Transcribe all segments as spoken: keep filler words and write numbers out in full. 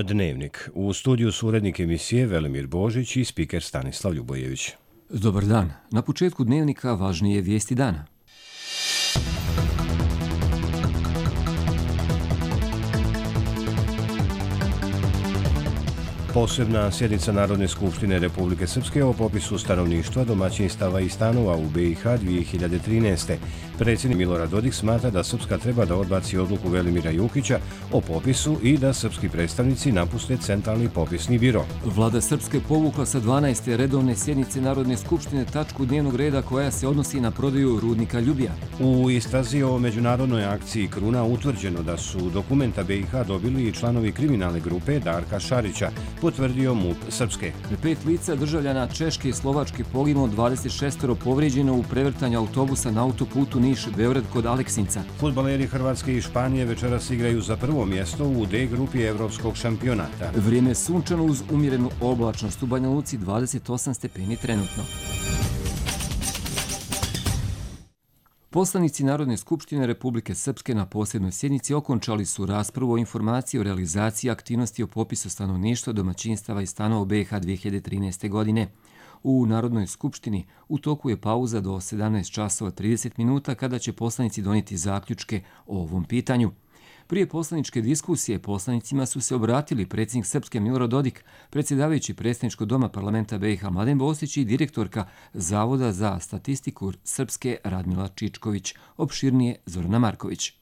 Dnevnik. U studiju su urednik emisije Velimir Božić i spiker Stanislav Ljubojević. Dobar dan. Na početku Dnevnika važnije vijesti dana. Posebna sjednica Narodne skupštine Republike Srpske o popisu stanovništva, domaćinstava i stanova u B i H dvije hiljade trinaeste. Predsjednik Milorad Dodik smatra da Srpska treba da odbaci odluku Velimira Jukića o popisu i da srpski predstavnici napuste Centralni popisni biro. Vlada Srpske povukla sa dvanaeste redovne sjednice Narodne skupštine tačku dnevnog reda koja se odnosi na prodaju rudnika Ljubija. U istrazi o međunarodnoj akciji Kruna utvrđeno da su dokumenta B i H dobili i članovi kriminalne grupe Darka Šarića, potvrdio MUP Srpske. Pet lica državljana Češke i Slovačke poginulo, dvadeset šest povrijeđeno u prevrtanju autobusa na autoputu Niš-Beograd kod Aleksinca. Fudbaleri Hrvatske i Španije večeras igraju za prvo mjesto u D grupi evropskog šampionata. Vrijeme je sunčano uz umjerenu oblačnost, u Banja Luci dvadeset osam stepeni trenutno. Poslanici Narodne skupštine Republike Srpske na posebnoj sjednici okončali su raspravu o informaciji o realizaciji aktivnosti o popisu stanovništva, domaćinstava i stanova u B i H dvije hiljade trinaeste. godine. U Narodnoj skupštini u toku je pauza do sedamnaest časova trideset minuta kada će poslanici donijeti zaključke o ovom pitanju. Prije poslaničke diskusije poslanicima su se obratili predsjednik Srpske Milorad Dodik, predsjedavajući Predstavničkog doma parlamenta B i H Mladen Bosić i direktorka Zavoda za statistiku Srpske Radmila Čičković, opširnije Zorana Marković.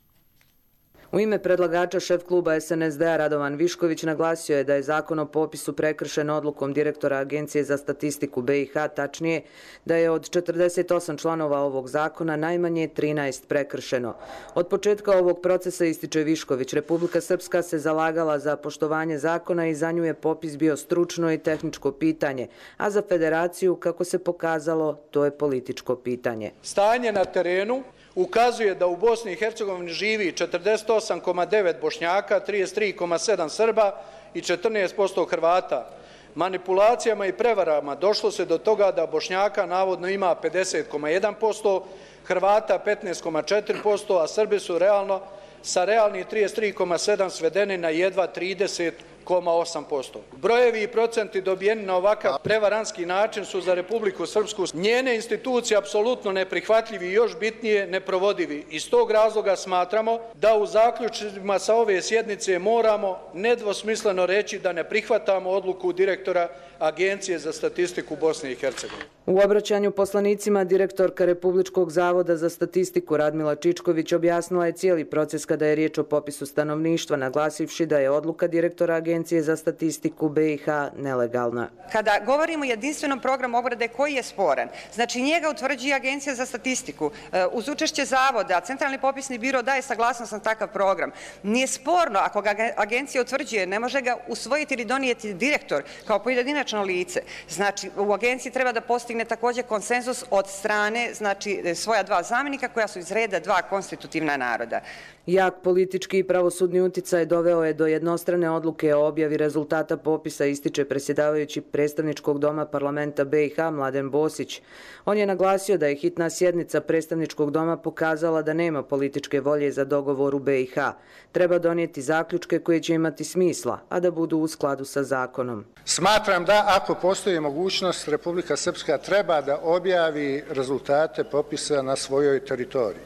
U ime predlagača šef kluba S N S D-a Radovan Višković naglasio je da je zakon o popisu prekršen odlukom direktora Agencije za statistiku B i H, tačnije da je od četrdeset osam članova ovog zakona najmanje trinaest prekršeno. Od početka ovog procesa, ističe Višković, Republika Srpska se zalagala za poštovanje zakona i za nju je popis bio stručno i tehničko pitanje, a za federaciju, kako se pokazalo, to je političko pitanje. Stanje na terenu ukazuje da u Bosni i Hercegovini živi četrdeset osam zarez devet Bošnjaka, trideset tri zarez sedam Srba i četrnaest posto Hrvata. Manipulacijama i prevarama došlo se do toga da Bošnjaka navodno ima pedeset zarez jedan posto, Hrvata petnaest zarez četiri posto, a Srbi su realno sa realnih trideset tri zarez sedam svedeni na jedva trideset zarez osam posto. Brojevi i procenti dobijeni na ovakav prevaranski način su za Republiku Srpsku njene institucije apsolutno neprihvatljivi i još bitnije neprovodivi. Iz tog razloga smatramo da u zaključcima sa ove sjednice moramo nedvosmisleno reći da ne prihvatamo odluku direktora Agencije za statistiku Bosne i Hercegovine. U obraćanju poslanicima direktorka Republičkog zavoda za statistiku Radmila Čičković objasnila je cijeli proces kada je riječ o popisu stanovništva, naglasivši da je odluka direktora Agencije za statistiku B i H nelegalna. Kada govorimo o jedinstvenom programu obrade koji je sporan, znači njega utvrđuje Agencija za statistiku, uz učešće zavoda, Centralni popisni biro daje saglasnost na takav program. Nije sporno ako ga agencija utvrđuje, ne može ga usvojiti ili donijeti direktor kao pojedinačno lice. Znači u agenciji treba da postigne također konsenzus od strane, znači svoja dva zamjenika koja su iz reda dva konstitutivna naroda. Jak politički i pravosudni uticaj doveo je do jednostrane odluke o objavi rezultata popisa, ističe predsjedavajući Predstavničkog doma parlamenta B i H Mladen Bosić. On je naglasio da je hitna sjednica Predstavničkog doma pokazala da nema političke volje za dogovor u B i H. Treba donijeti zaključke koje će imati smisla, a da budu u skladu sa zakonom. Smatram da ako postoji mogućnost, Republika Srpska treba da objavi rezultate popisa na svojoj teritoriji.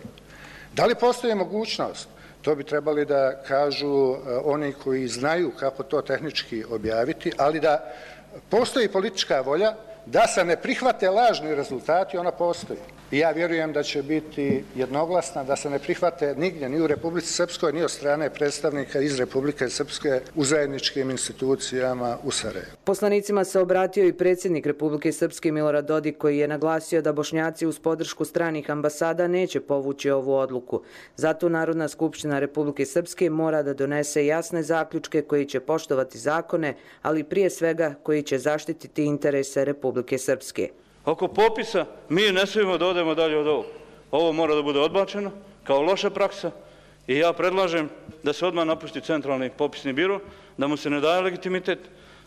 Da li postoji mogućnost? To bi trebali da kažu oni koji znaju kako to tehnički objaviti, ali da postoji politička volja da se ne prihvate lažni rezultati, ona postoji. I ja vjerujem da će biti jednoglasna, da se ne prihvate nigdje, ni u Republici Srpskoj, ni od strane predstavnika iz Republike Srpske u zajedničkim institucijama u Sarajevu. Poslanicima se obratio i predsjednik Republike Srpske Milorad Dodik, koji je naglasio da Bošnjaci uz podršku stranih ambasada neće povući ovu odluku. Zato Narodna skupština Republike Srpske mora da donese jasne zaključke koji će poštovati zakone, ali prije svega koji će zaštititi interese Republike Srpske. Oko popisa mi ne smijemo da odemo dalje od ovog. Ovo mora da bude odbačeno kao loša praksa i ja predlažem da se odmah napusti Centralni popisni biro, da mu se ne daje legitimitet,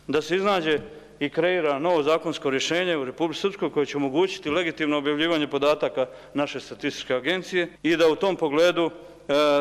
da se iznađe i kreira novo zakonsko rješenje u Republici Srpskoj koje će omogućiti legitimno objavljivanje podataka naše statističke agencije i da u tom pogledu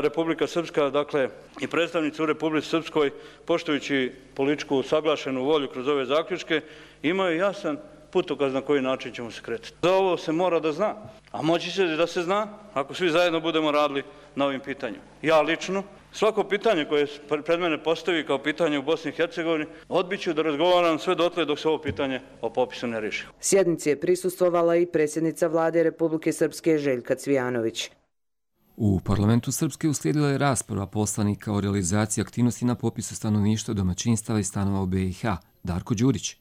Republika Srpska, dakle i predstavnici u Republici Srpskoj, poštujući političku usaglašenu volju kroz ove zaključke, imaju jasan putokaz na koji način ćemo se kretati. Za ovo se mora da zna, a moći će da se zna ako svi zajedno budemo radili na ovim pitanjima. Ja lično, svako pitanje koje pred mene postavi kao pitanje u Bosni i Hercegovini, odbiću da razgovaram sve dotle dok se ovo pitanje o popisu ne riješi. Sjednici je prisustvovala i predsjednica vlade Republike Srpske Željka Cvijanović. U parlamentu Srpske uslijedila je rasprava poslanika o realizaciji aktivnosti na popisu stanovništva, domaćinstava i stanova u B i H. Darko Đurić.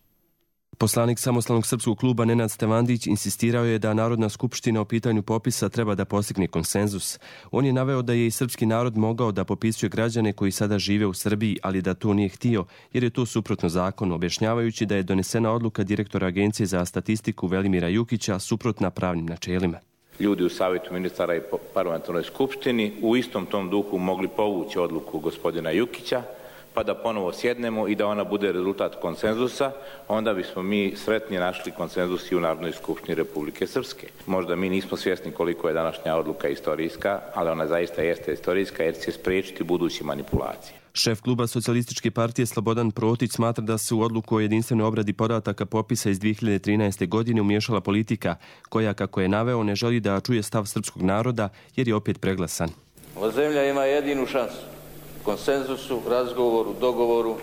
Poslanik Samostalnog srpskog kluba Nenad Stevandić insistirao je da Narodna skupština o pitanju popisa treba da postigne konsenzus. On je naveo da je i srpski narod mogao da popisuje građane koji sada žive u Srbiji, ali da to nije htio, jer je to suprotno zakonu, objašnjavajući da je donesena odluka direktora Agencije za statistiku Velimira Jukića suprotna pravnim načelima. Ljudi u Savjetu ministara i parlamentarnoj skupštini u istom tom duhu mogli povući odluku gospodina Jukića, pa da ponovo sjednemo i da ona bude rezultat konsenzusa, onda bismo mi sretni našli konsenzus i u Narodnoj skupštini Republike Srpske. Možda mi nismo svjesni koliko je današnja odluka istorijska, ali ona zaista jeste istorijska jer će spriječiti buduće manipulacije. Šef kluba Socijalističke partije Slobodan Protić smatra da se u odluku o jedinstvenoj obradi podataka popisa iz dvije hiljade trinaeste. godine umiješala politika, koja, kako je naveo, ne želi da čuje stav srpskog naroda jer je opet preglasan. Ova zemlja ima jedinu šansu. Konsenzusu, razgovoru, dogovoru,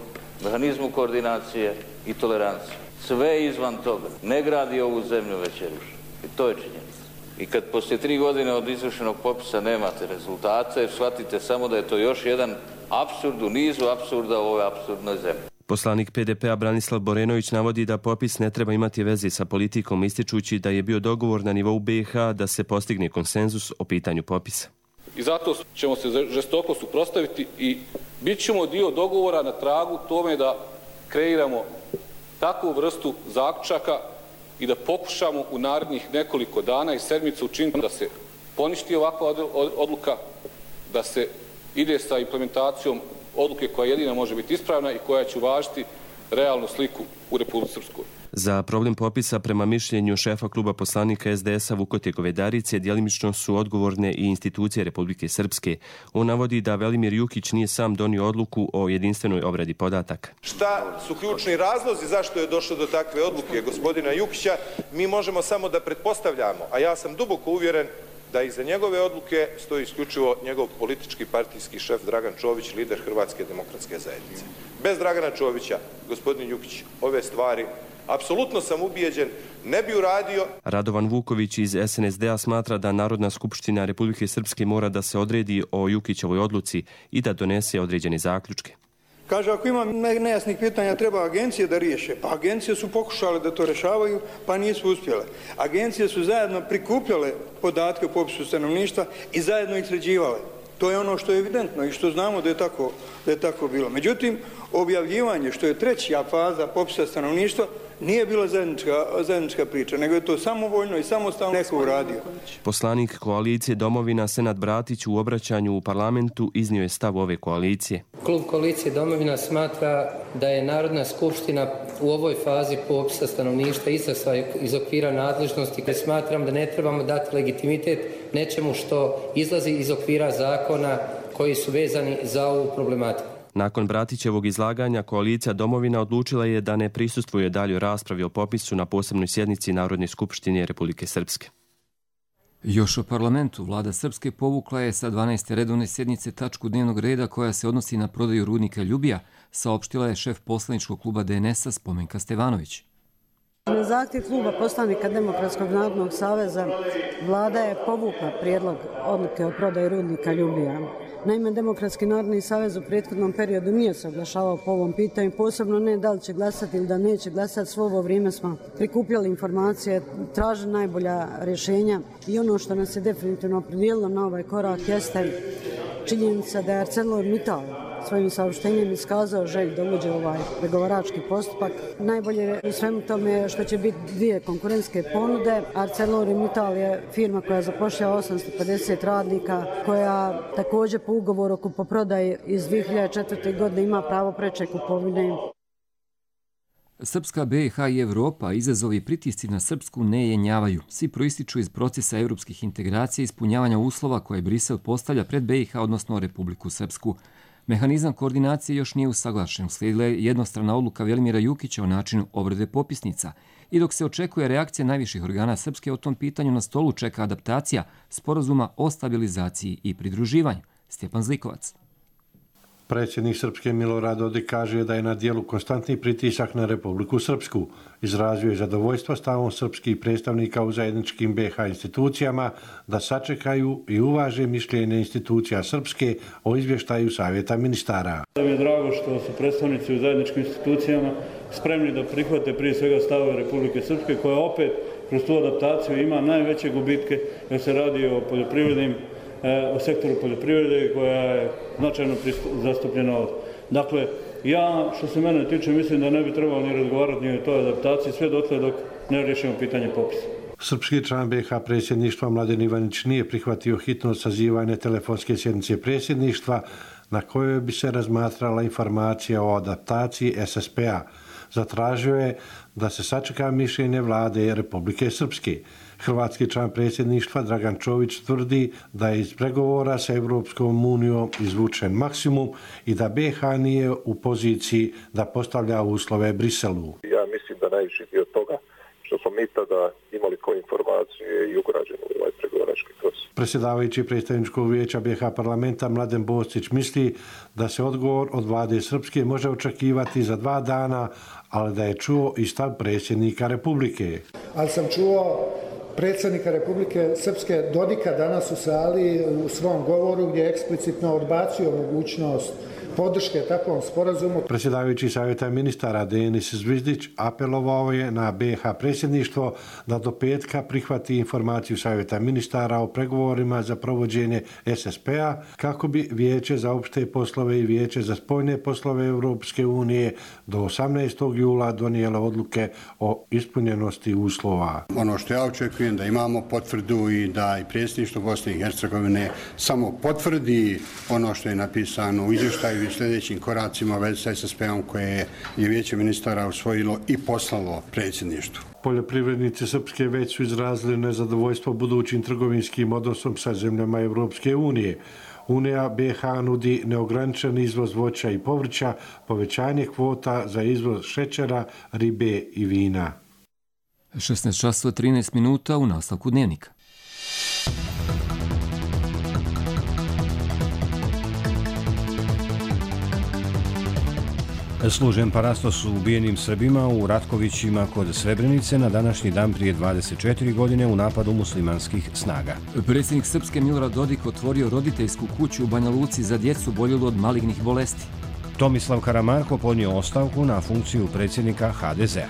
mehanizmu koordinacije i tolerancije. Sve izvan toga ne gradi ovu zemlju, već je ruši. I to je činjenica. I kad poslije tri godine od izvršenog popisa nemate rezultate, shvatite samo da je to još jedan apsurd u nizu apsurda u ovoj apsurdnoj zemlji. Poslanik P D P-a Branislav Borenović navodi da popis ne treba imati veze sa politikom, ističući da je bio dogovor na nivou B i H da se postigne konsenzus o pitanju popisa. I zato ćemo se žestoko suprotstaviti i bit ćemo dio dogovora na tragu tome da kreiramo takvu vrstu zaključaka i da pokušamo u narednih nekoliko dana i sedmica učiniti da se poništi ovakva odluka, da se ide sa implementacijom odluke koja jedina može biti ispravna i koja će uvažiti realnu sliku u Republici Srpskoj. Za problem popisa, prema mišljenju šefa kluba poslanika S D S-a Vukote Govedarice, djelimično su odgovorne i institucije Republike Srpske. On navodi da Velimir Jukić nije sam donio odluku o jedinstvenoj obradi podataka. Šta su ključni razlozi zašto je došlo do takve odluke gospodina Jukića, mi možemo samo da pretpostavljamo, a ja sam duboko uvjeren da iza njegove odluke stoji isključivo njegov politički partijski šef Dragan Čović, lider Hrvatske demokratske zajednice. Bez Dragana Čovića, gospodin Jukić, ove stvari, apsolutno sam ubijeđen, ne bi uradio. Radovan Vuković iz S N S D-a smatra da Narodna skupština Republike Srpske mora da se odredi o Jukićevoj odluci i da donese određene zaključke. Kaže, ako ima nejasnih pitanja, treba agencije da riješe. Pa agencije su pokušale da to rješavaju, pa nisu uspjele. Agencije su zajedno prikupljale podatke o popisu stanovništva i zajedno ih sređivale. To je ono što je evidentno i što znamo da je tako, da je tako bilo. Međutim, objavljivanje, što je treća faza popisa stanovništva, nije bila zajednička, zajednička priča, nego je to samovoljno i samostalno neko uradio. Poslanik koalicije Domovina Senad Bratić u obraćanju u parlamentu iznio je stav ove koalicije. Klub koalicije Domovina smatra da je Narodna skupština u ovoj fazi popisa stanovništva izašla iz okvira nadležnosti, gdje smatram da ne trebamo dati legitimitet nečemu što izlazi iz okvira zakona koji su vezani za ovu problematiku. Nakon Bratićevog izlaganja, koalicija Domovina odlučila je da ne prisustvuje daljoj raspravi o popisu na posebnoj sjednici Narodne skupštine Republike Srpske. Još o parlamentu, vlada Srpske povukla je sa dvanaeste redovne sjednice tačku dnevnog reda koja se odnosi na prodaju rudnika Ljubija, saopštila je šef poslaničkog kluba D N S-a Spomenka Stevanović. Na zahtjev kluba poslanika Demokratskog narodnog saveza vlada je povukla prijedlog odluke o prodaju rudnika Ljubija. Naime, Demokratski narodni savez u prethodnom periodu nije se oglašavao po ovom pitanju, posebno ne da li će glasati ili da neće glasati. Svo ovo vrijeme smo prikupljali informacije, tražili najbolja rješenja i ono što nas je definitivno opredijelilo na ovaj korak jeste činjenica da je ArcelorMittal svojim saopštenjem iskazao želju da uđe u ovaj pregovarački postupak. Najbolje u svemu tome je što će biti dvije konkurentske ponude. ArcelorMittal je firma koja zapošljava osamsto pedeset radnika, koja također po ugovoru o kupoprodaji iz dvije hiljade četvrte. godine ima pravo preče kupovine. Srpska, B i H i Evropa izazovi i pritisci na Srpsku ne jenjavaju. Svi proističu iz procesa evropskih integracija i ispunjavanja uslova koje Brisel postavlja pred B i H, odnosno Republiku Srpsku. Mehanizam koordinacije još nije usaglašen. Uslijedila je jednostrana odluka Velimira Jukića o načinu obrade popisnica. I dok se očekuje reakcija najviših organa Srpske o tom pitanju, na stolu čeka adaptacija sporazuma o stabilizaciji i pridruživanju. Stjepan Zlikovac. Predsjednik Srpske Milorad Dodik kaže da je na dijelu konstantni pritisak na Republiku Srpsku. Izrazio je zadovoljstvo stavom srpskih predstavnika u zajedničkim B i H institucijama da sačekaju i uvaže mišljenje institucija Srpske o izvještaju Savjeta ministara. Da mi je drago što su predstavnici u zajedničkim institucijama spremni da prihvate prije svega stavove Republike Srpske, koja opet kroz tu adaptaciju ima najveće gubitke jer se radi o poljoprivrednim o sektoru poljoprivrede koja je značajno zastupljena ovdje. Dakle, ja što se mene tiče mislim da ne bi trebalo ni razgovarati ni o toj adaptaciji sve dotle dok ne riješimo pitanje popisa. Srpski član B i H predsjedništva Mladen Ivanić nije prihvatio hitno sazivanje telefonske sjednice predsjedništva na kojoj bi se razmatrala informacija o adaptaciji S S P-a. Zatražio je da se sačeka mišljenje vlade Republike Srpske. Hrvatski član predsjedništva Dragan Čović tvrdi da je iz pregovora sa Evropskom unijom izvučen maksimum i da B i H nije u poziciji da postavlja uslove Briselu. Ja mislim da najviši dio toga što smo mi tada imali kao informaciju je i ugrađeno u ovaj pregovarački proces. Predsjedavajući predstavničkog vijeća B i H parlamenta Mladen Boscić misli da se odgovor od vlade Srpske može očekivati za dva dana, ali da je čuo i stav predsjednika Republike. Ali sam čuo predsjednika Republike Srpske Dodika danas u sali u svom govoru gdje je eksplicitno odbacio mogućnost podrške takvom sporazumu. Predsjedavajući Savjeta ministara Denis Zvizdić apelovao je na B i H predsjedništvo da do petka prihvati informaciju Savjeta ministara o pregovorima za provođenje S S P-a kako bi Vijeće za opšte poslove i Vijeće za spoljne poslove Europske unije do osamnaestog jula donijelo odluke o ispunjenosti uslova. Ono što ja očekujem da imamo potvrdu i da i predsjedništvo Bosne i Hercegovine samo potvrdi ono što je napisano u izvještaju i sljedećim koracima u vezi sa S S P-om koje je Vijeće ministara usvojilo i poslalo predsjedništvu. Poljoprivrednici Srpske već su izrazili nezadovoljstvo budućim trgovinskim odnosom sa zemljama Evropske unije. Unija B i H nudi neograničen izvoz voća i povrća, povećanje kvota za izvoz šećera, ribe i vina. šesnaest časova trinaest minuta u nastavku dnevnika. Služen parastos su ubijenim Srbima u Ratkovićima kod Srebrenice na današnji dan prije dvadeset četiri godine u napadu muslimanskih snaga. Predsjednik Srpske Milorad Dodik otvorio roditeljsku kuću u Banja Luci za djecu boljelu od malignih bolesti. Tomislav Karamarko podnio ostavku na funkciju predsjednika H D Z-a.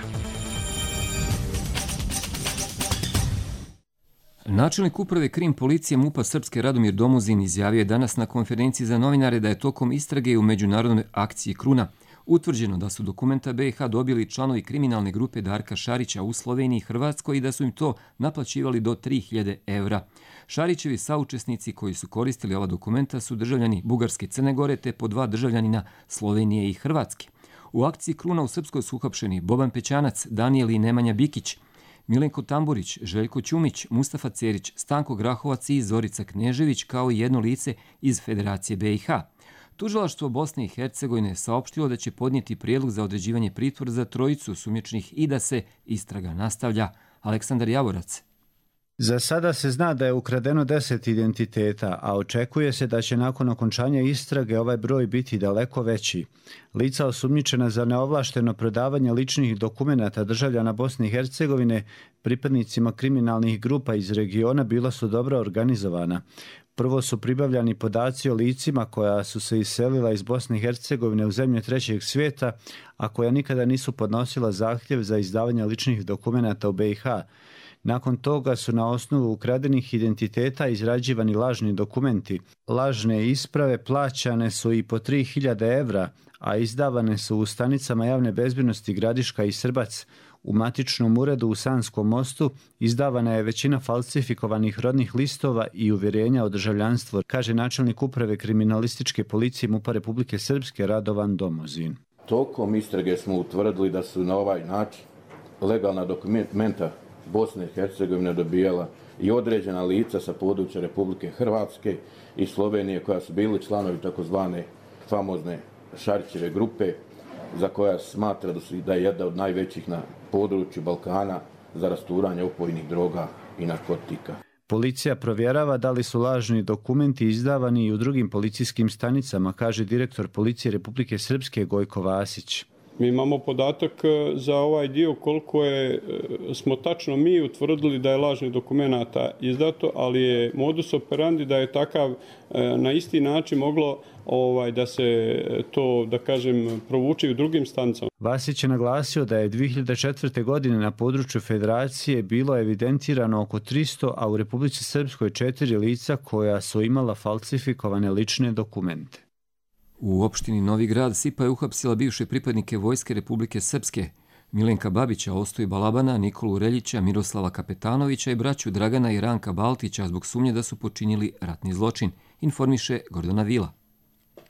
Načelnik uprave Krim policije MUP-a Srpske Radomir Domuzin izjavio je danas na konferenciji za novinare da je tokom istrage u međunarodnoj akciji Kruna utvrđeno da su dokumenta B i H dobili članovi kriminalne grupe Darka Šarića u Sloveniji i Hrvatskoj i da su im to naplaćivali do tri hiljade evra. Šarićevi saučesnici koji su koristili ova dokumenta su državljani Bugarske i Crne Gore te po dva državljanina Slovenije i Hrvatske. U akciji Kruna u Srpskoj su uhapšeni Boban Pećanac, Danijel i Nemanja Bikić, Milenko Tamburić, Željko Ćumić, Mustafa Cerić, Stanko Grahovac i Zorica Knežević kao i jedno lice iz Federacije B i H. Tužilaštvo Bosne i Hercegovine saopštilo da će podnijeti prijedlog za određivanje pritvora za trojicu osumnjičenih i da se istraga nastavlja. Aleksandar Javorac. Za sada se zna da je ukradeno deset identiteta, a očekuje se da će nakon okončanja istrage ovaj broj biti daleko veći. Lica osumnjičena za neovlašteno prodavanje ličnih dokumenata državljana Bosne i Hercegovine pripadnicima kriminalnih grupa iz regiona bila su dobro organizovana. Prvo su pribavljani podaci o licima koja su se iselila iz Bosne i Hercegovine u zemlje trećeg svijeta, a koja nikada nisu podnosila zahtjev za izdavanje ličnih dokumenata u B i H. Nakon toga su na osnovu ukradenih identiteta izrađivani lažni dokumenti. Lažne isprave plaćane su i po tri hiljade evra, a izdavane su u stanicama javne bezbjednosti Gradiška i Srbac. U matičnom uredu u Sanskom mostu izdavana je većina falsifikovanih rodnih listova i uvjerenja o državljanstvu, kaže načelnik uprave kriminalističke policije MUP-a Republike Srpske Radovan Domuzin. Tokom istrage smo utvrdili da su na ovaj način legalna dokumenta Bosne i Hercegovine dobijala i određena lica sa područja Republike Hrvatske i Slovenije koja su bili članovi takozvane famozne Šarićeve grupe za koja smatra da, su, da je jedna od najvećih na području Balkana za rasturanje opojnih droga i narkotika. Policija provjerava da li su lažni dokumenti izdavani i u drugim policijskim stanicama, kaže direktor Policije Republike Srpske Gojko Vasić. Mi imamo podatak za ovaj dio koliko je, smo tačno mi utvrdili da je lažnih dokumenata izdato, ali je modus operandi da je takav na isti način moglo ovaj, da se to, da kažem, provuče u drugim stanicama. Vasić je naglasio da je dvije hiljade četvrte. godine na području Federacije bilo evidentirano oko tristo, a u Republici Srpskoj četiri lica koja su imala falsifikovane lične dokumente. U opštini Novi Grad SIPA je uhapsila bivše pripadnike Vojske Republike Srpske, Milenka Babića, Ostoji Balabana, Nikolu Reljića, Miroslava Kapetanovića i braću Dragana i Ranka Baltića zbog sumnje da su počinili ratni zločin, informiše Gordana Vila.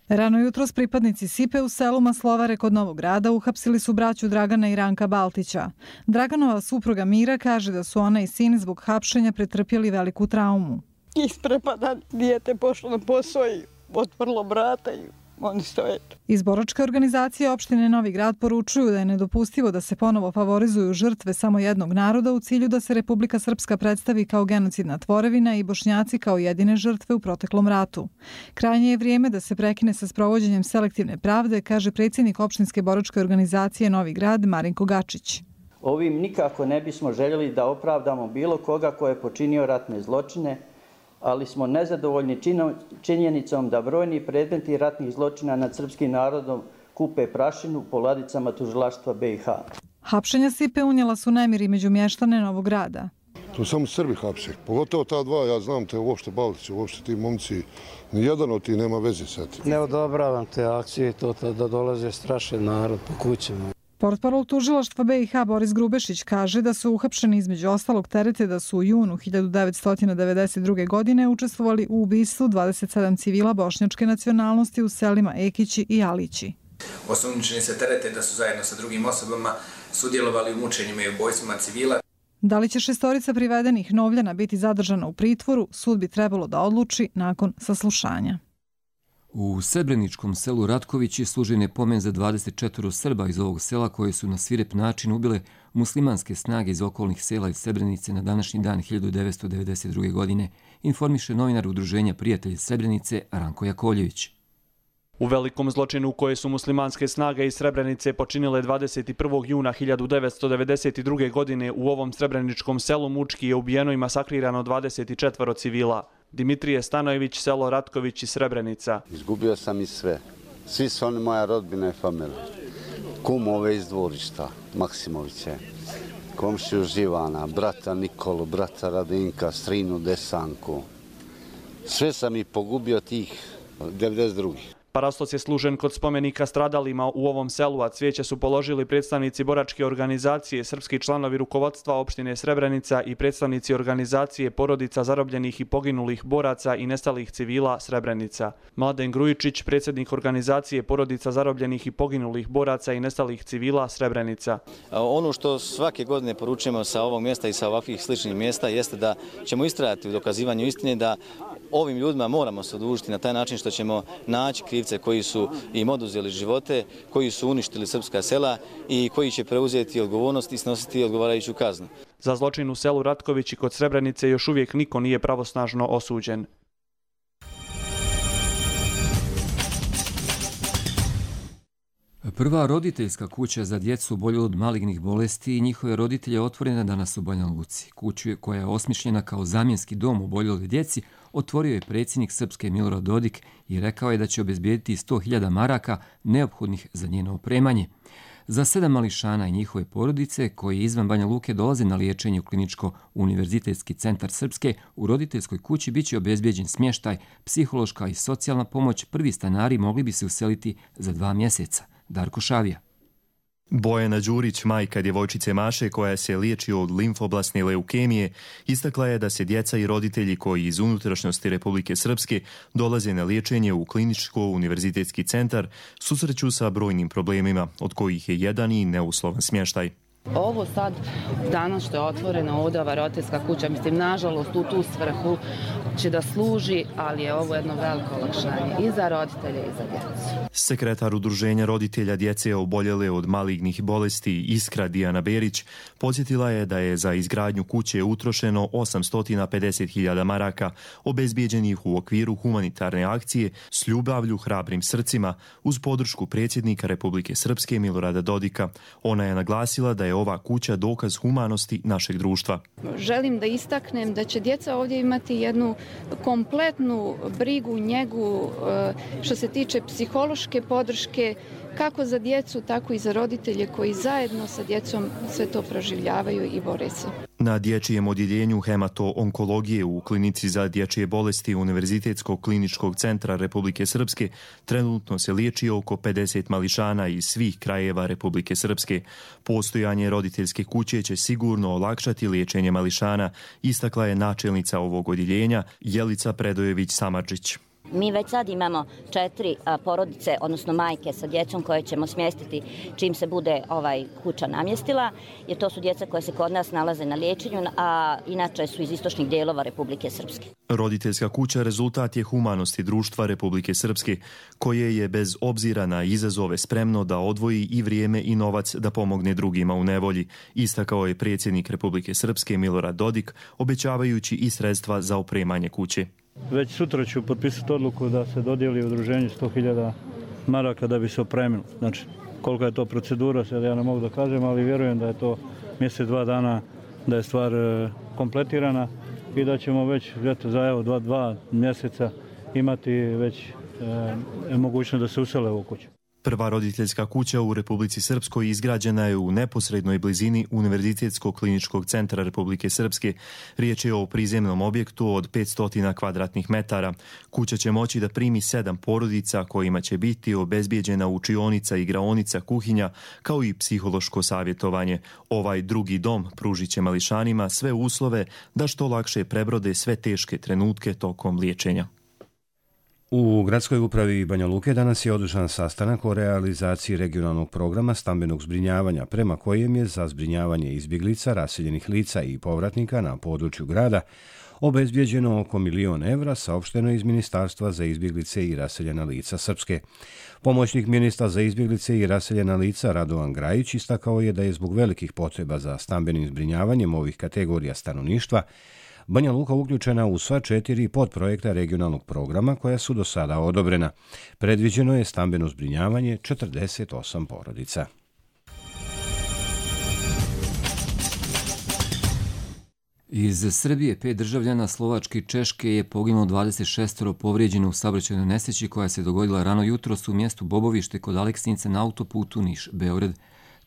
Rano jutros pripadnici SIPE u selu Maslovare kod Novog Grada uhapsili su braću Dragana i Ranka Baltića. Draganova supruga Mira kaže da su ona i sin zbog hapšenja pretrpjeli veliku traumu. Isprepada dijete pošlo na posao i otvrlo vrata i oni stoje. Iz boračke organizacije opštine Novi Grad poručuju da je nedopustivo da se ponovo favorizuju žrtve samo jednog naroda u cilju da se Republika Srpska predstavi kao genocidna tvorevina i Bošnjaci kao jedine žrtve u proteklom ratu. Krajnje je vrijeme da se prekine sa sprovođenjem selektivne pravde, kaže predsjednik opštinske boračke organizacije Novi Grad Marinko Gačić. Ovim nikako ne bismo željeli da opravdamo bilo koga ko je počinio ratne zločine, ali smo nezadovoljni činjenicom da brojni predmeti ratnih zločina nad srpskim narodom kupe prašinu po ladicama tužilaštva be i ha. Hapšenja SIPE unijela su nemiri među mještane Novog Grada. To samo Srbi hapse. Pogotovo ta dva, ja znam te uopšte Baltići, uopšte ti momci, nijedan od ti nema veze sa tim. Ne odobravam te akcije, to da dolaze strašan narod po kućama. Portparol tužilaštva be i ha Boris Grubešić kaže da su uhapšeni između ostalog terete da su u junu hiljadu devetsto devedeset druge. godine učestvovali u ubistvu dvadeset sedam civila bošnjačke nacionalnosti u selima Ekići i Alići. Osumnjičeni se terete da su zajedno sa drugim osobama sudjelovali u mučenjima i ubojstvima civila. Da li će šestorica privedenih Novljana biti zadržana u pritvoru, sud bi trebalo da odluči nakon saslušanja. U Srebreničkom selu Ratkovići služen je pomen za dvadeset četiri Srba iz ovog sela koje su na svirep način ubile muslimanske snage iz okolnih sela iz Srebrenice na današnji dan hiljadu devetsto devedeset druge. godine, informiše novinar Udruženja Prijatelji Srebrenice Ranko Jakovljević. U velikom zločinu koje su muslimanske snage iz Srebrenice počinile dvadeset prvog juna hiljadu devetsto devedeset druge. godine u ovom Srebreničkom selu mučki je ubijeno i masakrirano dvadeset četiri civila. Dimitrije Stanojević, selo Ratković i Srebrenica. Izgubio sam i sve. Svi su oni moja rodbina i familija. Kum ove iz dvorišta, Maksimoviće, komšiju Živana, brata Nikolu, brata Radinka, strinu Desanku. Sve sam ih pogubio tih devedeset drugih. Parastos je služen kod spomenika stradalima u ovom selu, a cvijeće su položili predstavnici boračke organizacije, srpski članovi rukovodstva opštine Srebrenica i predstavnici organizacije porodica zarobljenih i poginulih boraca i nestalih civila Srebrenica. Mladen Grujičić, predsjednik organizacije porodica zarobljenih i poginulih boraca i nestalih civila Srebrenica. Ono što svake godine poručujemo sa ovog mjesta i sa ovakvih sličnih mjesta jeste da ćemo istrajati u dokazivanju istine, da ovim ljudima moramo se odužiti na taj način što ćemo naći krivce koji su im oduzeli živote, koji su uništili srpska sela i koji će preuzeti odgovornost i snositi odgovarajuću kaznu. Za zločin u selu Ratković i kod Srebrenice još uvijek niko nije pravosnažno osuđen. Prva roditeljska kuća za djecu oboljelu od malignih bolesti i njihove roditelje otvorena danas u Banja Luci. Kuću koja je osmišljena kao zamjenski dom oboljeloj djeci otvorio je predsjednik Srpske Milorad Dodik i rekao je da će obezbijediti sto hiljada maraka neophodnih za njeno opremanje. Za sedam mališana i njihove porodice koji izvan Banja Luke dolaze na liječenje u Kliničko-univerzitetski centar Srpske, u roditeljskoj kući biće obezbijeđen smještaj, psihološka i socijalna pomoć. Prvi stanari mogli bi se useliti za dva mjeseca. Darko Šavija. Bojana Đurić, majka djevojčice Maše koja se liječi od limfoblasne leukemije, istakla je da se djeca i roditelji koji iz unutrašnjosti Republike Srpske dolaze na liječenje u kliničko-univerzitetski centar susreću sa brojnim problemima, od kojih je jedan i neuslovan smještaj. Ovo sad, danas što je otvorena ovdje ova roditeljska kuća, mislim, nažalost, u tu svrhu će da služi, ali je ovo jedno veliko olakšanje i za roditelje i za djecu. Sekretar Udruženja roditelja djece oboljele od malignih bolesti Iskra Dijana Berić podsjetila je da je za izgradnju kuće utrošeno osamsto pedeset hiljada maraka, obezbijeđenih u okviru humanitarne akcije S ljubavlju hrabrim srcima uz podršku predsjednika Republike Srpske Milorada Dodika. Ona je naglasila da je ova kuća dokaz humanosti našeg društva. Želim da istaknem da će djeca ovdje imati jednu kompletnu brigu, njegu što se tiče psihološke podrške, kako za djecu, tako i za roditelje koji zajedno sa djecom sve to proživljavaju i bore se. Na dječjem odjeljenju hemato-onkologije u klinici za dječje bolesti Univerzitetskog kliničkog centra Republike Srpske trenutno se liječi oko pedeset mališana iz svih krajeva Republike Srpske. Postojanje roditeljske kuće će sigurno olakšati liječenje mališana, istakla je načelnica ovog odjeljenja Jelica Predojević-Samardžić. Mi već sad imamo četiri porodice, odnosno majke sa djecom koje ćemo smjestiti čim se bude ovaj kuća namjestila, jer to su djeca koje se kod nas nalaze na liječenju, a inače su iz istočnih dijelova Republike Srpske. Roditeljska kuća rezultat je humanosti društva Republike Srpske, koje je bez obzira na izazove spremno da odvoji i vrijeme i novac da pomogne drugima u nevolji, istakao je predsjednik Republike Srpske Milorad Dodik, obećavajući i sredstva za opremanje kuće. Već sutra ću potpisati odluku da se dodijeli udruženju sto hiljada maraka da bi se opremilo. Znači, kolika je to procedura, sad ja ne mogu da kažem, ali vjerujem da je to mjesec, dva dana, da je stvar kompletirana i da ćemo već eto, za evo, dva, dva mjeseca imati već e, mogućnost da se usele u kuću. Prva roditeljska kuća u Republici Srpskoj izgrađena je u neposrednoj blizini Univerzitetskog kliničkog centra Republike Srpske. Riječ je o prizemnom objektu od petsto kvadratnih metara. Kuća će moći da primi sedam porodica kojima će biti obezbijeđena učionica, igraonica, kuhinja, kao i psihološko savjetovanje. Ovaj drugi dom pružit će mališanima sve uslove da što lakše prebrode sve teške trenutke tokom liječenja. U gradskoj upravi Banja Luke danas je održan sastanak o realizaciji regionalnog programa stambenog zbrinjavanja, prema kojem je za zbrinjavanje izbjeglica, raseljenih lica i povratnika na području grada obezbijeđeno oko milion evra, saopšteno iz Ministarstva za izbjeglice i raseljena lica Srpske. Pomoćnik ministra za izbjeglice i raseljena lica Radovan Grajić istakao je da je zbog velikih potreba za stambenim zbrinjavanjem ovih kategorija stanovništva Banja Luka uključena u sva četiri podprojekta regionalnog programa koja su do sada odobrena. Predviđeno je stambeno zbrinjavanje četrdeset osam porodica. Iz Srbije pet državljana Slovačke i Češke je poginulo dvadeset šest povrijeđeno u saobraćajnoj nesreći koja se dogodila rano jutros u mjestu Bobovište kod Aleksinca na autoputu Niš-Beograd.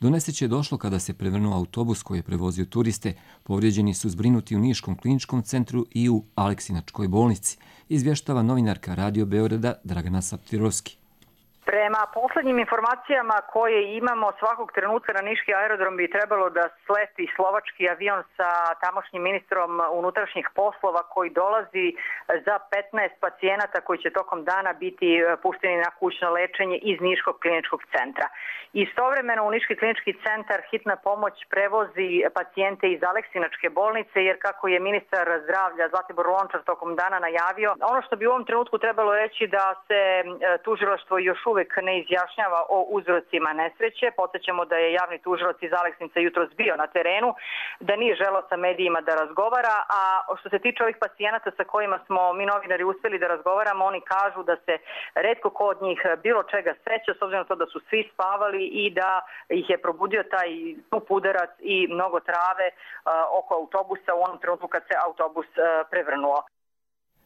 Do nesreće je došlo kada se prevrnuo autobus koji je prevozio turiste. Povrijeđeni su zbrinuti u Niškom kliničkom centru i u Aleksinačkoj bolnici, izvještava novinarka Radio Beograda Dragana Saptirovski. Prema poslednjim informacijama koje imamo, svakog trenutka na Niški aerodrom bi trebalo da sleti slovački avion sa tamošnjim ministrom unutrašnjih poslova koji dolazi za petnaest pacijenata koji će tokom dana biti pušteni na kućno lečenje iz Niškog kliničkog centra. Istovremeno u Niški klinički centar hitna pomoć prevozi pacijente iz Aleksinačke bolnice, jer kako je ministar zdravlja Zlatibor Lončar tokom dana najavio, ono što bi u ovom trenutku trebalo reći da se tužilaštvo još uvek ne izjašnjava o uzrocima nesreće. Podsjećamo da je javni tužilac iz Aleksinca jutros bio na terenu, da nije želeo sa medijima da razgovara, a što se tiče ovih pacijenata sa kojima smo mi novinari uspjeli da razgovaramo, oni kažu da se retko ko od njih bilo čega seća, s obzirom na to da su svi spavali i da ih je probudio taj udarac i mnogo trave oko autobusa u onom trenutku kad se autobus prevrnuo.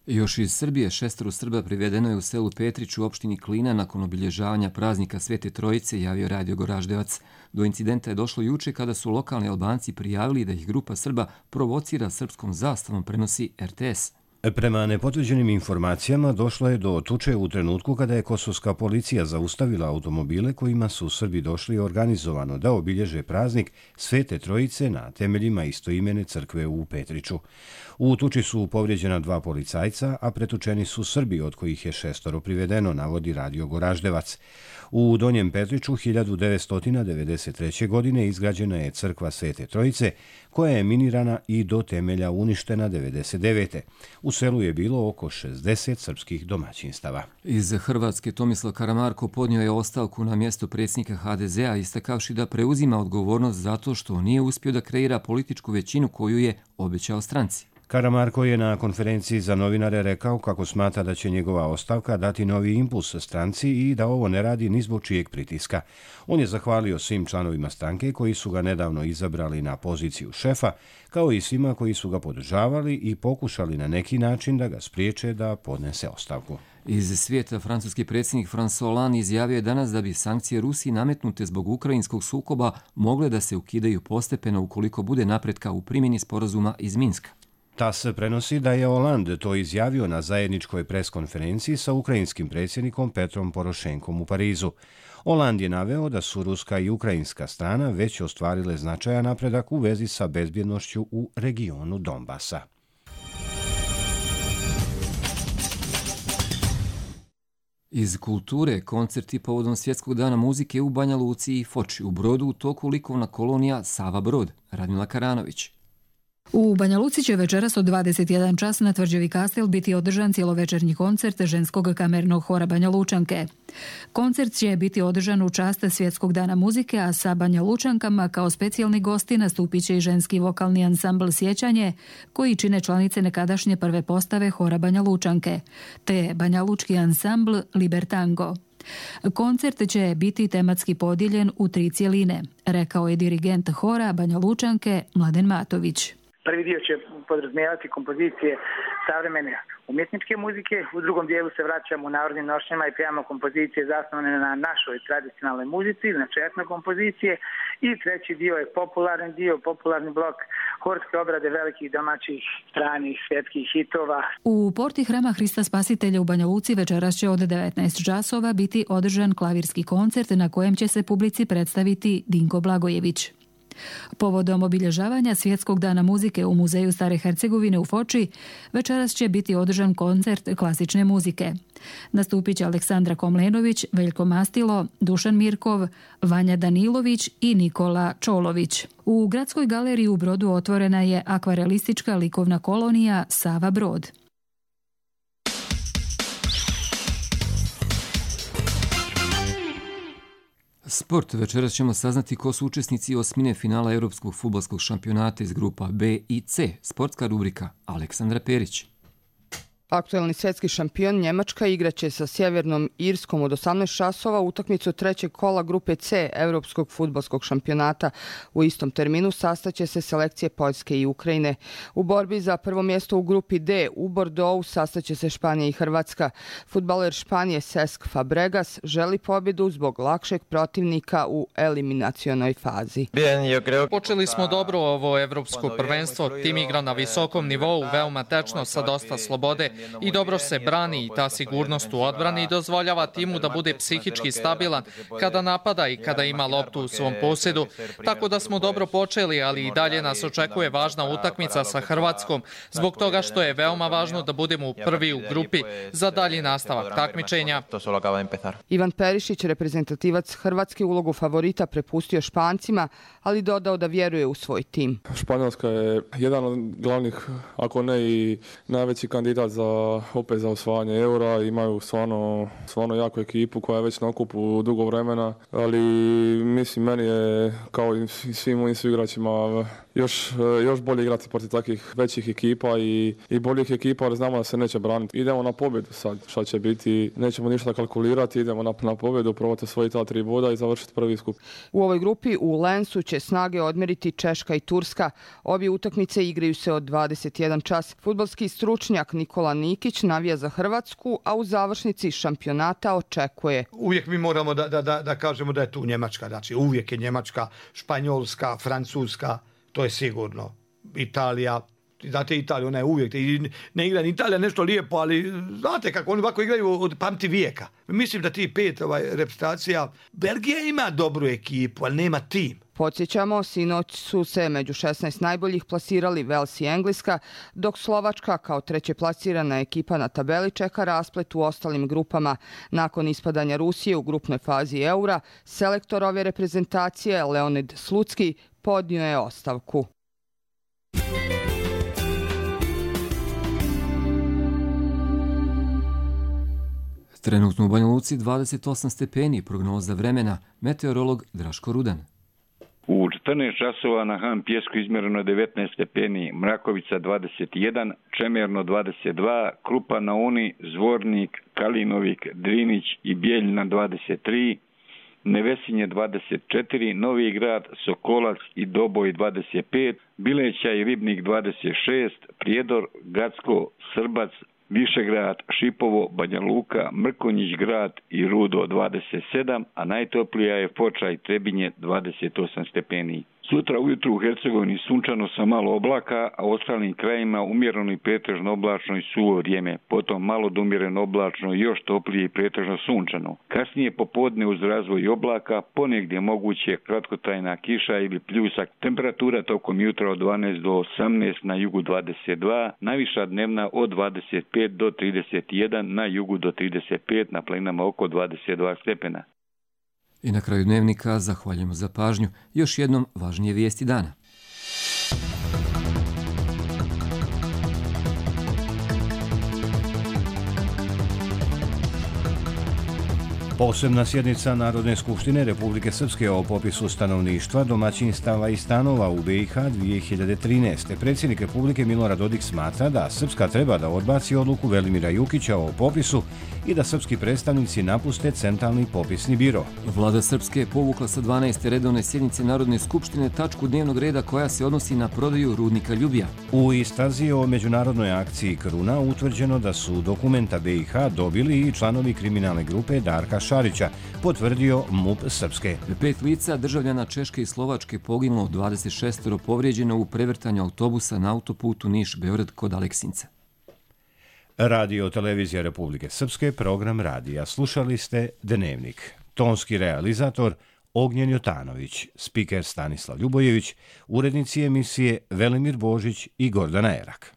Još iz Srbije šestero Srba privedeno je u selu Petrić u opštini Klina nakon obilježavanja praznika Svete Trojice, javio Radio Goraždevac. Do incidenta je došlo juče kada su lokalni Albanci prijavili da ih grupa Srba provocira srpskom zastavom, prenosi R T S. Prema nepotvrđenim informacijama došlo je do tuče u trenutku kada je kosovska policija zaustavila automobile kojima su Srbi došli organizovano da obilježe praznik Svete Trojice na temeljima istoimene crkve u Petriću. U tuči su povrijeđena dva policajca, a pretučeni su Srbi, od kojih je šestoro privedeno, navodi Radio Goraždevac. U Donjem Petriću hiljadu devetsto devedeset treće. godine izgrađena je crkva Svete Trojice, koja je minirana i do temelja uništena devedeset devete. U selu je bilo oko šezdeset srpskih domaćinstava. Iz Hrvatske Tomislav Karamarko podnio je ostavku na mjesto predsjednika ha de zea, istakavši da preuzima odgovornost zato što nije uspio da kreira političku većinu koju je obećao stranci. Karamarko je na konferenciji za novinare rekao kako smatra da će njegova ostavka dati novi impuls stranci i da ovo ne radi ni zbog čijeg pritiska. On je zahvalio svim članovima stranke koji su ga nedavno izabrali na poziciju šefa, kao i svima koji su ga podržavali i pokušali na neki način da ga spriječe da podnese ostavku. Iz svijeta francuski predsjednik François Hollande izjavio je danas da bi sankcije Rusiji nametnute zbog ukrajinskog sukoba mogle da se ukidaju postepeno ukoliko bude napretka u primjeni sporazuma iz Minska. TAS prenosi da je Hollande to izjavio na zajedničkoj preskonferenciji sa ukrajinskim predsjednikom Petrom Porošenkom u Parizu. Hollande je naveo da su ruska i ukrajinska strana već ostvarile značajan napredak u vezi sa bezbjednošću u regionu Donbasa. Iz kulture, koncerti povodom Svjetskog dana muzike u Banja Luci i Foči, u Brodu u toku likovna kolonija Sava Brod. Radmila Karanović. U Banja Luci će večeras od dvadeset jedan čas na Tvrđavi Kastel biti održan cjelovečernji koncert ženskog kamernog hora Banja Lučanke. Koncert će biti održan u čast Svjetskog dana muzike, a sa Banja Lučankama kao specijalni gosti nastupit će i ženski vokalni ansambl Sjećanje, koji čine članice nekadašnje prve postave hora Banja Lučanke, te Banja Lučki ansambl Libertango. Koncert će biti tematski podijeljen u tri cjeline, rekao je dirigent hora Banja Lučanke Mladen Matović. Prvi dio će podrazumijevati kompozicije savremene umjetničke muzike, u drugom dijelu se vraćamo u narodnim nošnjama i pjevamo kompozicije zasnovane na našoj tradicionalnoj muzici, znači etno kompozicije, i treći dio je popularni dio, popularni blok horske obrade velikih domaćih stranih svjetskih hitova. U porti Hrama Hrista Spasitelja u Banja Luci večeras će od devetnaest časova biti održan klavirski koncert na kojem će se publici predstaviti Dinko Blagojević. Povodom obilježavanja Svjetskog dana muzike u Muzeju Stare Hercegovine u Foči, večeras će biti održan koncert klasične muzike. Nastupit će Aleksandra Komlenović, Veljko Mastilo, Dušan Mirkov, Vanja Danilović i Nikola Čolović. U Gradskoj galeriji u Brodu otvorena je akvarelistička likovna kolonija Sava Brod. Sport. Večeras ćemo saznati ko su učesnici osmine finala Europskog fudbalskog šampionata iz grupa B i C. Sportska rubrika Aleksandra Perić. Aktuelni svjetski šampion Njemačka igraće sa Sjevernom Irskom od osamnaest časova utakmicu trećeg kola grupe C Europskog fudbalskog šampionata. U istom terminu sastaće se selekcije Poljske i Ukrajine. U borbi za prvo mjesto u grupi D u Bordeauxu sastaće se Španija i Hrvatska. Fudbaler Španije Cesc Fabregas želi pobjedu zbog lakšeg protivnika u eliminacionoj fazi. Počeli smo dobro ovo evropsko prvenstvo. Tim igra na visokom nivou, veoma tečno, sa dosta slobode. I dobro se brani i ta sigurnost u odbrani dozvoljava timu da bude psihički stabilan kada napada i kada ima loptu u svom posjedu. Tako da smo dobro počeli, ali i dalje nas očekuje važna utakmica sa Hrvatskom, zbog toga što je veoma važno da budemo prvi u grupi za dalji nastavak takmičenja. Ivan Perišić, reprezentativac Hrvatske, ulogu favorita prepustio Špancima, ali dodao da vjeruje u svoj tim. Španjolska je jedan od glavnih, ako ne i najveći kandidat za opet za osvajanje eura. Imaju stvarno, stvarno jaku ekipu koja je već na okupu dugo vremena, ali mislim meni je kao i svim mojim igračima još, još bolje igrati protiv takvih većih ekipa i, i boljih ekipa, ali znamo da se neće braniti. Idemo na pobjedu sad, šta će biti, nećemo ništa kalkulirati, idemo na, na pobjedu, probati osvojiti ta tri boda i završiti prvi skup. U ovoj grupi u Lensu će snage odmeriti Češka i Turska. Obje utakmice igraju se od dvadeset jedan čas. Fudbalski stručnjak Nikola Nikić navija za Hrvatsku, a u završnici šampionata očekuje. Uvijek mi moramo da, da, da, da kažemo da je tu Njemačka, znači uvijek je Njemačka, Španjolska, Francuska, to je sigurno, Italija, Znate Italija, ona je uvijek, ne igra ni Italija nešto lijepo, ali znate kako oni ovako igraju od pamti vijeka. Mislim da ti pet ovaj, reprezentacija, Belgija ima dobru ekipu, ali nema tim. Podsjećamo, sinoć su se među šesnaest najboljih plasirali Vels i Engleska, dok Slovačka kao treće plasirana ekipa na tabeli čeka rasplet u ostalim grupama. Nakon ispadanja Rusije u grupnoj fazi Eura, selektor ove reprezentacije Leonid Slucki podnio je ostavku. Trenutno u Banja Luci dvadeset osam stepeni, prognoza vremena, meteorolog Draško Rudan. U četrnaest časova na Han Pjesku izmjereno devetnaest stepeni, Mrakovica dvadeset jedan, Čemerno dvadeset dva, Krupa na Uni, Zvornik, Kalinovik, Drinić i Bijeljina dvadeset tri, Nevesinje dvadeset četiri, Novi Grad, Sokolac i Doboj dvadeset pet, Bileća i Ribnik dvadeset šest, Prijedor, Gacko, Srbac, Višegrad, Šipovo, Banja Luka, Mrkonjić grad i Rudo dvadeset sedam, a najtoplija je Foča i Trebinje dvadeset osam stepeni. Sutra ujutru u Hercegovini sunčano sa malo oblaka, a u ostalim krajima umjereno i pretežno oblačno i suvo vrijeme. Potom malo do umjereno oblačno i još toplije i pretežno sunčano. Kasnije popodne uz razvoj oblaka, ponegdje moguće kratkotrajna kiša ili pljusak. Temperatura tokom jutra od dvanaest do osamnaest, na jugu dvadeset dva, najviša dnevna od dvadeset pet do trideset jedan, na jugu do trideset pet, na planinama oko dvadeset dva stepena. I na kraju dnevnika zahvaljujemo za pažnju. Još jednom važnije vijesti dana. Posebna sjednica Narodne skupštine Republike Srpske o popisu stanovništva, domaćinstava i stanova u be i ha dvije hiljade trinaeste. Predsjednik Republike Milorad Dodik smatra da Srpska treba da odbaci odluku Velimira Jukića o popisu i da srpski predstavnici napuste centralni popisni biro. Vlada Srpske je povukla sa dvanaeste redovne sjednice Narodne skupštine tačku dnevnog reda koja se odnosi na prodaju rudnika Ljubija. U istrazi o međunarodnoj akciji Kruna utvrđeno da su dokumenta be i ha dobili i članovi kriminalne grupe Darka Šarića, potvrdio MUP Srpske. Pet lica, državljana Češke i Slovačke, poginulo, dvadeset šest povrijeđeno u prevrtanju autobusa na autoputu Niš-Beograd kod Aleksinca. Radio Televizija Republike Srpske, program radija. Slušali ste Dnevnik. Tonski realizator Ognjen Jotanović, spiker Stanislav Ljubojević, urednici emisije Velimir Božić i Gordana Erak.